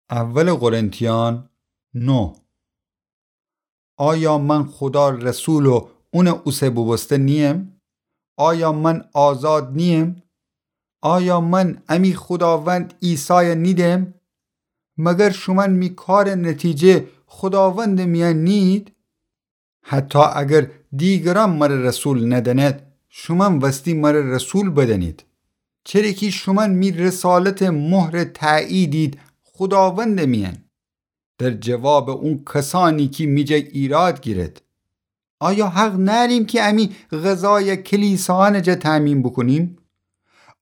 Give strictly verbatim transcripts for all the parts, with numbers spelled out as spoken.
اول قرنتیان نه. آیا من خودا رسول و اونٚ اوسه بوبوسته نییم؟ آیا من آزاد نییم؟ آیا من امی خوداوند عیسای نیدم؟ مگر شومأن می کارٚ نتیجه خوداوندٚ میأن نیید؟ حتی اگر دیگرأن مر رسول ندأنید، شومأن وستی مر رسول بدأنید. چره کی شومأن می رسالتٚ مهرٚ تأییدید خوداوندٚ میأن. در جوابٚ اون کسأنی کی می جا ایراد گیرید. آیا حق نأریم کی امی غذای کلیسایأنٚ جا تأمین بوکونیم؟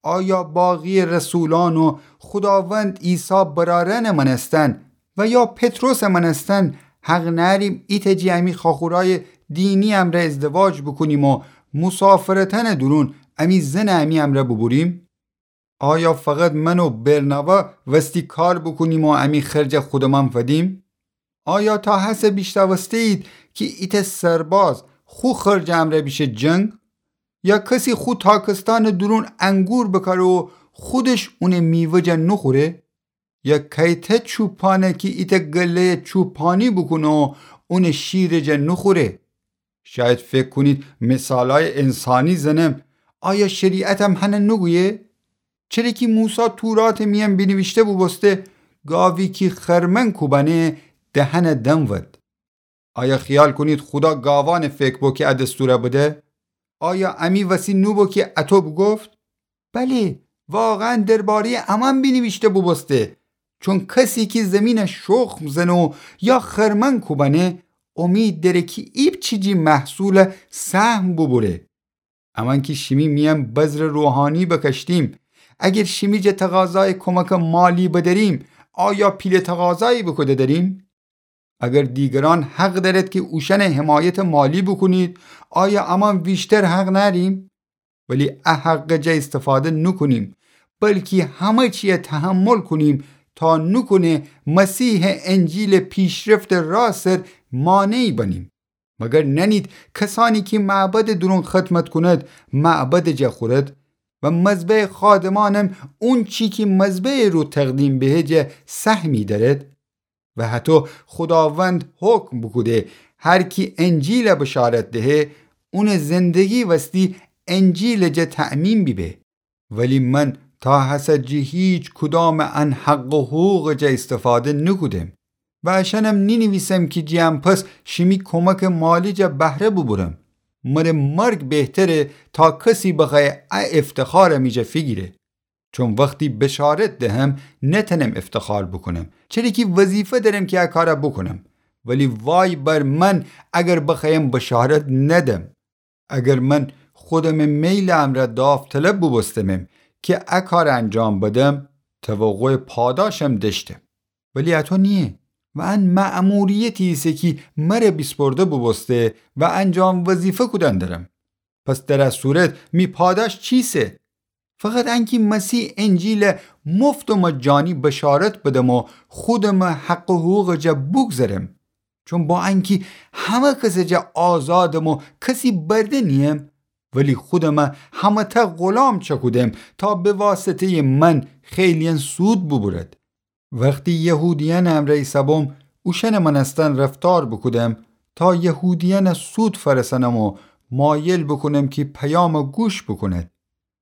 آیا باقی رسولأن و خوداوند عیسی برأرأنٚ مأنستن و یا پطرسٚ مأنستن حق نأریم ایتأ جی امی خاخورأیٚ دینی امرأ ازدواج بوکونیم و مسافرتأنٚ دورون امی زنٚ امی امرأ بوبوریم؟ آیا فقط من و برنابا وستی کار بوکونیم و امی خرج خودمأن فدیم؟ آیا تا هسه بیشنوسته‌یید کی ایتأ سرباز خو خرجٚ امرأ بیشه جنگ؟ یا کسی خو تاکستأنٚ دورون انگور بکاره و خودش اونٚ میوه جا نوخوره؟ یا کیتأ چوپانه کی ایتأ گله‌یٚ چوپانی بوکونه و اونٚ شیرٚ جا نوخوره؟ شاید فکر کونید مثالأیٚ انسانی زنم. آیا شریعتم هنه نوگویه؟ چره کی موسی توراتٚ میأن بینیویشته بوبوسته، گاوی کی خرمن کوبأنه دهنٚ دم ود. آیا خیال کونید خودا گاوأنٚ فکر بو کی ا دستورأ بده؟ آیا امی وسی نوبو کی اطو بوگفت؟ بلی، واقعاً درباره‌یٚ امأن بینیویشته بوبوسته، چون کسی کی زیمینأ شخم زنه و یا خرمن کوبأنه، اومید دأره کی ایپچیجی محصولأ سهم بوبوره. امأن کی شیمی میأن بذرٚ روحانی بکشتیم، اگر شیمی جا تقاضایٚ کمکٚ مالی بدأریم، آیا پیله تقاضایی بوکوده دأریم؟ اگر دیگرأن حق دأرید کی اوشأنٚ حمایتٚ مالی بوکونید، آیا امأن ویشتر حق نأریم؟ ولی ا حقٚ جا ایستفاده نوکونیم، بلکی همه چیه تحمل کونیم تا نوکونه مسیحٚ انجیلٚ پیشرفتٚ راه سر مانعی بنیم. مگر نأنید کسأنی کی معبدٚ دورون خدمت کونید، معبدٚ جا خورید و مذبحٚ خادمأنم اونچی کی مذبحٚ رو تقدیم بهه جا سهمی دأرید؟ و هطو خوداوند حکم بوکوده، هر کی انجیلأ بشارت دهه، اونٚ زندگی وستی انجیلٚ جا تأمین بیبه. ولی من تا هسه جٚه هیچ کدامٚ ان حق و حقوقٚ جا ایستفاده نوکودم و اشأنم نینیویسم کی جٚه ان پس شیمی کمکٚ مالی جا بهره بوبورم. مره مرگ بهتره تا کسی بخوأیه ا افتخارٚ می جا فیگیره. چون وختی بشارت دهم، نتنم افتخار بوکونم، چره کی وظیفه دأرم کی ا کارأ بوکونم. ولی وای بر من اگر بخوأیم بشارت ندم. اگر من خودمٚ میلٚ امرأ داوطلب بوبوستمم کی ا کارأ انجام بدم، توقعٚ پاداشم دأشتم. ولی اطو نییه و ان مأموریتی ایسه کی مره بیسپرده بوبوسته و انجام وظیفه کودن درم. پس در ا صورت می پاداش چیسه؟ فقط انکی مسیحٚ انجیلٚ مفت و مجانی بشارت بدم و خودمٚ حق و حقوقٚ جا بوگذرم. چون با انکی همه کسٚ جا آزادم و کسی برده نییم، ولی خودمٚ همه‌تأ غلام چأکودم تا به واسطه‌یٚ من خیلی‌یأن سود بوبورد. وختی یهودیأنٚ امرأ ایسه‌بوم، اوشأنٚ مأنستن رفتار بوکودم تا یهودیأنٚ سود فأرسأنم و مایل بوکونم کی پیامٚ گوش بوکونید.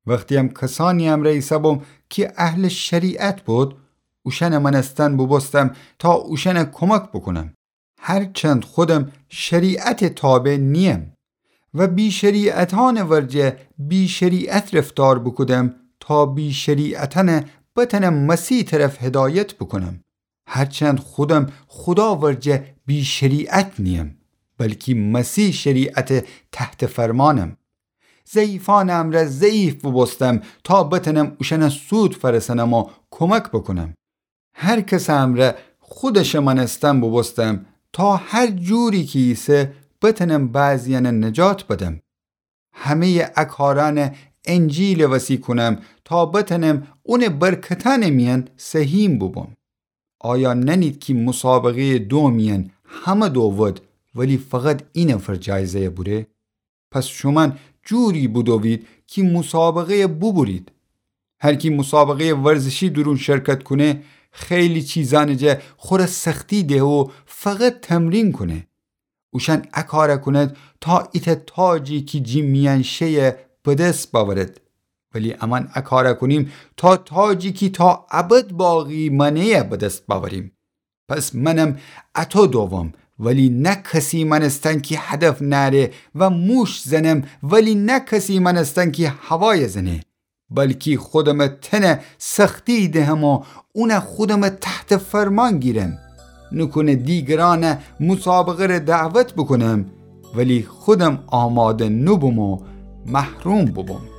وختی‌یم کسأنی امرأ ایسه‌بوم کی اهلٚ شریعت بود، اوشأنٚ مأنستن بوبوستم تا اوشأنٚ کمک بوکونم. هرچند خودم شریعتٚ تابع نییم و بی‌شریعتأنٚ ورجه بی‌شریعت رفتار بوکودم تا بی‌شریعتأنٚ بتأنم مسیحٚ طرف هدایت بوکونم. هرچند خودم خودا ورجه بی‌شریعت نییم، بلکی مسیحٚ شریعتٚ تحت فرمانم. ضعیفأنٚ امرأ ضعیف بوبوستم تا بتأنم اوشأنٚ سود فأرسأنم و کمک بوکونم. هر کسٚ امرأ خودشٚ مأنستن بوبوستم تا هر جوری کی ایسه بتأنم بعضی‌یأنٚ نجات بدم. همه‌یٚ ا کارأنٚ انجیلٚ وسی کونم تا بتأنم اونٚ برکتأنٚ میأن سهیم بوبوم. آیا نأنید کی مسابقه‌یٚ دو میأن همه دو ود، ولی فقط اینفر جایزه‌یٚ بوره؟ پس شومأن جوری بودوید کی مسابقه‌یٚ بوبورید. هر کی مسابقه‌یٚ ورزشی دورون شرکت کونه، خیلی چیزأنٚ جا خوره سختی دهه و فقط تمرین کونه. اوشأن ا کارَ کونید تا ایتأ تاجی کی جی میأن شئه به دس بأورید، ولی امأن ا کارَ کونیم تا تاجی کی تا ابد باقی مأنه‌یَ به دس بأوریم. پس منم اَطو دووم، ولی نه کسی مأنستن کی هدف نأره، و موش زنم، ولی نه کسی مأنستن کی هوایَ زنه، بلکی خودمٚ تنَ سختی دهم و اونَ خودمٚ تحتٚ فرمان گیرم. نوکونه دیگرأنَ مسابقه‌ره دعوت بوکونم، ولی خودم آماده نوبوم و محروم بوبوم.